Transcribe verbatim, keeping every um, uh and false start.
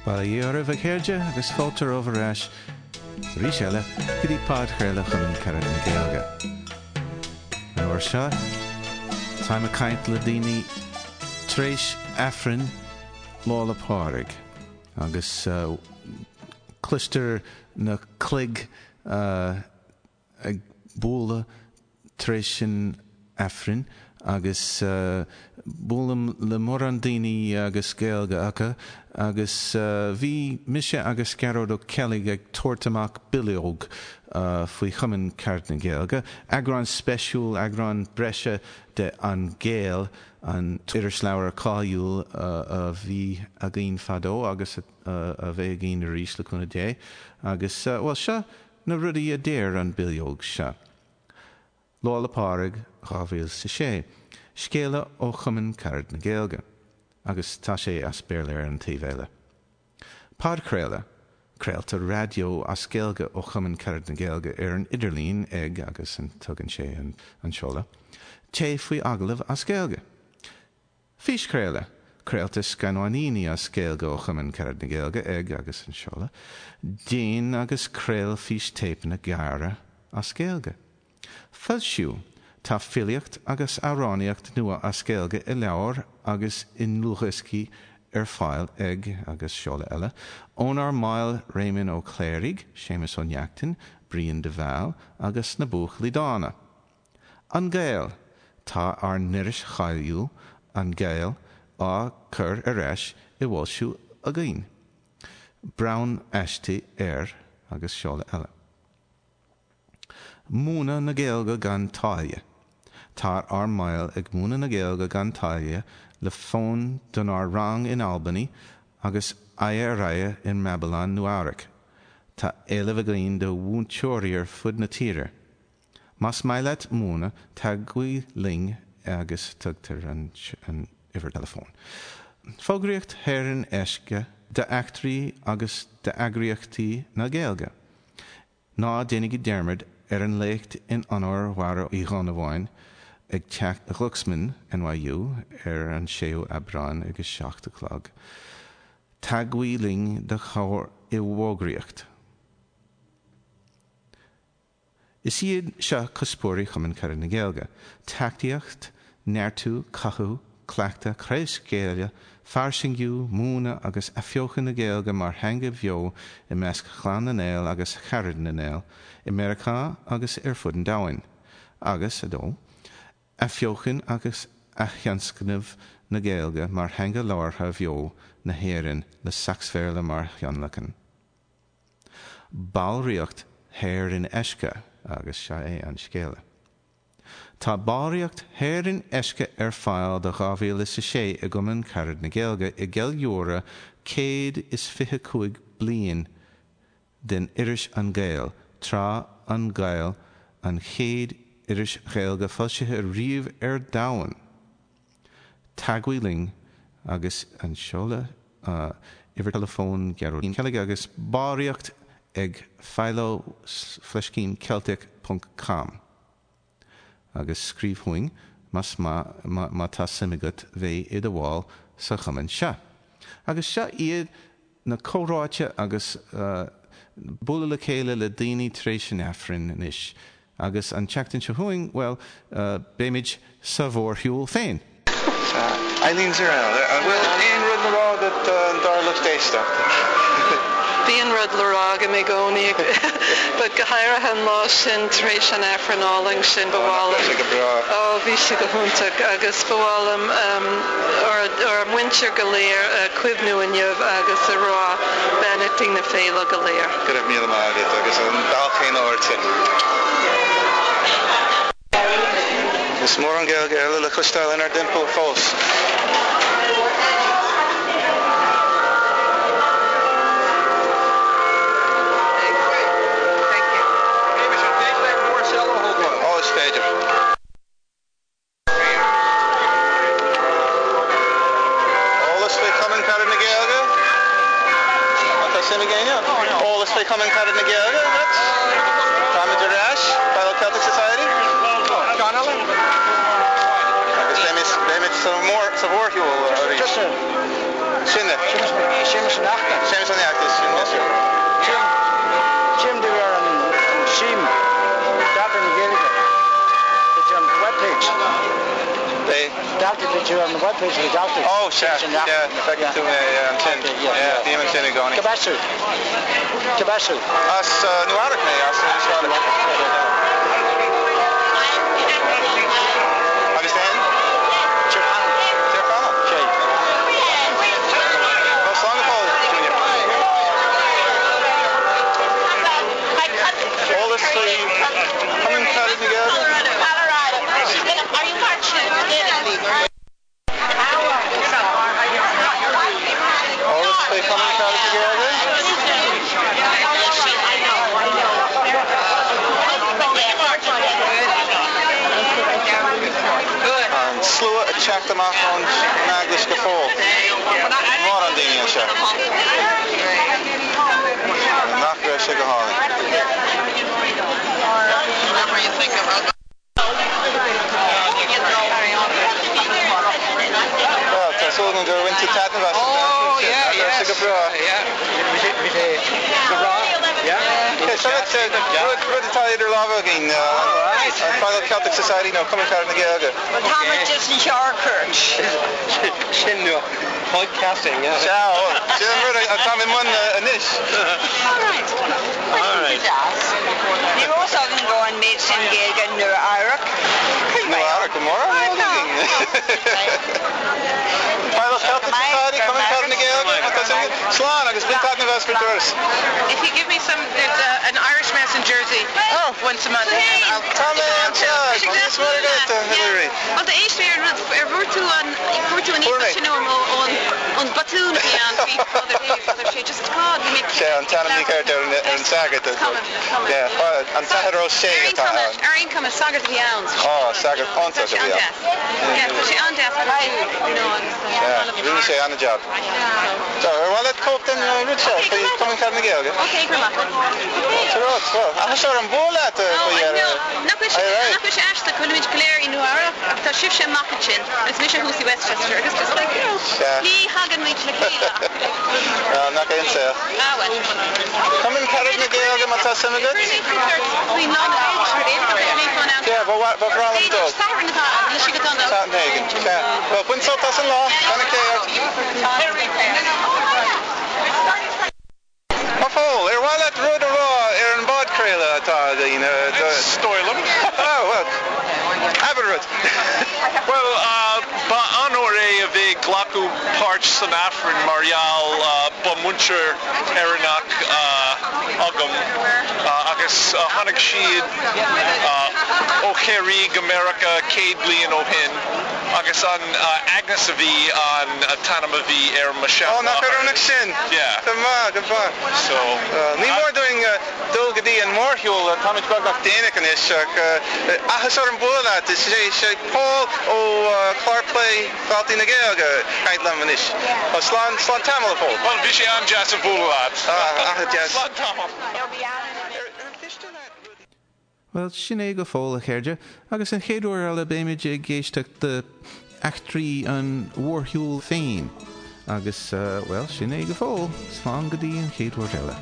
Bail ó Dhia oraibh a chairde agus fáilte romhaibh ar ais arís eile go dtí podchraoladh Chumann Carad na Gaeilge. An uair seo, táim ag caint le daoine tar éis Aifreann Lá 'le Pádraig agus cloistear na cloig ag bualadh tar éis an Aifrinn agus buailim le mórán daoine agus Gaeilge acu agus bhí mise agus Gearóid Ó Ceallaigh ag tabhairt amach bileog faoi Chumann Carad na Gaeilge, eagrán speisiúil, eagrán breise de An Gael, an t-irisleabhar cáiliúil a bhí againn fadó agus a bheidh againn arís le cúnamh Dé agus, bhuel, seo na rudaí a deir an bileog seo. Lá 'le Pádraig dhá mhíle is a sé, Scéala ó Chumann Carad na Gaeilge, agus tá sé as Béarla ar an taobh eile. Podchraoladh, Craoltar raidió as Gaeilge ó Chumann Carad na Gaeilge ar an idirlíon ag agus tugann sé an seoladh. Téigh faoi agallamh as Gaeilge. Físchraoladh, Craoltar scannáiníní as Gaeilge ó Chumann Carad na Gaeilge ag agus an seoladh. Déan agus craol fístéipeanna gearra as Gaeilge. Foilsiú, Tá filíocht agus amhránaíocht nua as Gaeilge i leabhair agus i ndlúthdhioscaí ar fáil ag agus seoladh eile ónár mbaill Réamonn Ó Cléirigh, Séamus Ó Neachtain, Brian de Bhál agus na Buachaillí Dána. An Gael, Tá ár n-iris cháiliúil, An Gael, á cur ar ais i bhfoilsiú againn. Breathnaigh aisti ar agus seoladh eile. Múineadh na Gaeilge gan táille. Tá ár mbaill ag múineadh na Gaeilge gan táille le fonn donár rang in Albany agus aghaidh ar aghaidh i mBabylon, Nua-Eabhrac. Tá éileamh againn do mhúinteoirí ar fud na tíre. Más maith leat múineadh, teagmhaigh linn agus tugtar an uimhir teileafóin. Fógraíocht shaor in aisce d'eachtraí agus d'eagraíochtaí na Gaeilge. Ná déanaigí dearmad ar an léacht in onóir Mháire Uí Dhonnabháin ag Teach Glucksman, NYU, ar an séú Aibreán ag a seacht a chlog. Teagmhaigh linn do chabhair i bhfógraíocht. Is iad seo cuspóirí Chumann Carad na Gaeilge, tacaíocht, neartú, cothú, cleachtadh, craobhscaoileadh, fairsingiú, múineadh agus athbheochan na Gaeilge mar theanga bheo i measc Chlann na nGael agus Charad na nGael i Meiriceá agus ar fud an domhain, agus a dó. Athbheochan agus aththionscnamh na Gaeilge mar theanga labhartha bheo na hÉireann le Sacsbhéarla mar thionlacan. Ballraíocht shaor in aisce agus seo é an scéala. Tá ballraíocht shaor in aisce ar fáil do dhá mhíle is a sé i gCumann Carad na Gaeilge i gceiliúradh céad is fiche cúig bliain den iris An Gael, tráth An Gael an chéad iris Ghaeilge foilsithe riamh ar domhan. Teagmhaigh linn agus an seoladh, uimhir teileafóin Gearóid Uí Cheallaigh agus ballraíocht ag philo fleiscín celtic ponc com agus scríobh chugainn más má tá suim agat bheith i do bhall sa chumann seo. Agus seo iad na comhráite agus bualadh le chéile le daoine tar éis an Aifrinn anois. Agus an tseachtain seo chugainn, bhuel, beimid sa mhórshiúl féin! Sea. Eileen Zurell, an bhfuil aon rud le rá agat dár lucht éisteachta? Bíonn rud le rá agam i gcónaí, but go háirithe an lá sin tar éis an Aifrinn álainn sin, ba mhaith liom. Bhí sé go breá. Ó, bhí sé go hiontach agus ba mhaith liom ár muintir go léir a chuimhniú inniu agus a rá beannachtaí na féile go léir. Go raibh míle maith agat agus an bail chéanna ortsa. Is mórán Gaeilge eile le cloisteáil inár dtimpeall fós. Ó, is féidir. Eolas faoi Chumann Carad na Gaeilge? Má tá suim ag éinne? Eolas faoi Chumann Carad na Gaeilge agat? Táimid ar ais, Philo Celtic Society. Agus beimid, beimid sa mhór, sa mhórshiúl arís. Sinne. Séamus Ó Neachtain. Séamus Ó Neachtain, sin é. Jim de ar an sim Daltaí na Gaeilge. It's on the webpage. They Daltaí that you on the webpage of the Daltaí. Oh, sea, yeah, feiceann tú mé ansin. Yeah, bím ansin i gcónaí. Cad as tú. Cad as tú. As Nua-Eabhrac mé, as Nua-Eabhrac. Agus féin? Tír Chonaill. Tír Chonaill? Sé. Well, slán go fóill, Junior. Eolas faoi Cumann Carad na Gaeilge? Are you marching? Eolas faoi Cumann Carad na Gaeilge? An slua ag teacht amach ón eaglais go fóill. Mórán daoine anseo. Nach raibh sé go hálainn. Well, tá súil agam gur bhain tú taitneamh as an Oh, sin. yeah, Nach raibh sé go yes. breá. Yeah. Bhí sé go breá. Yeah. Okay, so that's uh, rud rud atá idir lámha againn. All right. An Fine Celtic Society nó Cumann Carad na Gaeilge. Well, tá just an searchert. Sin nua. Podcasting, yeah. Sea, sin an rud atá i mbun anois. All right. All right. Ní rós agam go an méid sin Gaeilge Nua-Eabhrac. Nua-Eabhrac go mór Fine Celtic Society, Cumann Carad na Gaeilge. Tá sin slán agus bain taitneamh as an turas. If you give me some, there's a, an Irish Mass in Jersey Oh. once a month. And I'll Tá mé anseo. Is mar agat, Hilary. Well, the éis mé ar rud ar bhfuair tú an fuair tú an Fuair mé. sin ón an botún a bhí ann faoi Father Hay, Father Shea, just God, bhí mé Sé an t-ainm mícheart ar an ar an sagart. Coming, coming. Yeah, an t-athair Ó Sé atá ann. Ar aon chuma sagart a bhí ann. Oh, sagart iontach a bhí ann. Yeah, tá sé an-deas you know, agus Yeah, rinne sé an-jab. So, ar mhaith leat cóip den rud seo, faoi Cumann Carad na Gaeilge? Okay, grandma. Okay. Tá rud, well, ach seo an bhuail leat Oh, faoi I know. Nach bhfuil sé Aye, right. nach bhfuil sé aisteach go bhfuilimid go léir i Nua-Eabhrac ach tá sibhse amach ansin agus mise thuas i Westchester agus just like, you know, Sea. ní thagann muid le chéile. Ah, nach aon saol. Ah, well. Cumann Carad na Gaeilge má tá suim agat? Faoin lá na Yeah, ba ba bhreá liom dul. Satharn atá ann, níl sé go dona. Satharn éigin. Sea. Well, bain sult as an lá, beannacht Dé ort. A Phóil, ar mhaith leat rud a rá ar an bpodchraoladh atá againn? Stoilm. Oh, well, abair rud. Well, uh, ba onóir é a bheith ag glacadh páirt san Aifreann mar gheall uh, ba muintir Éireannach uh, agam uh, agus uh, tháinig siad uh, ó Chiarraí go Meiriceá céad bliain ó shin agus an uh, Agnes a bhí an uh, t-ainm a bhí ar mo Oh, nach oiriúnach sin. Yeah. Go maith, go maith. So, Uh, ní mór dúinn uh, dul go dtí an mórshiúl táimid beagnach déanach anois ach uh, áthas orm bualadh leat is sé sé Paul ó uh, Clár Plé Dhaltaí na Gaeilge ag caint liom anois. Oh, slán slán tamall a Phóil. well, bhí sé an-deas a bhualadh leat. Ah, ah, deas. Slán tamall. Well, sin é go fóill a chairde, agus an chéad uair eile beimid ag éisteacht le eachtraí an mhórshiúil féin. Agus, uh, well, sin é go fóill, slán go dtí an chéad uair eile.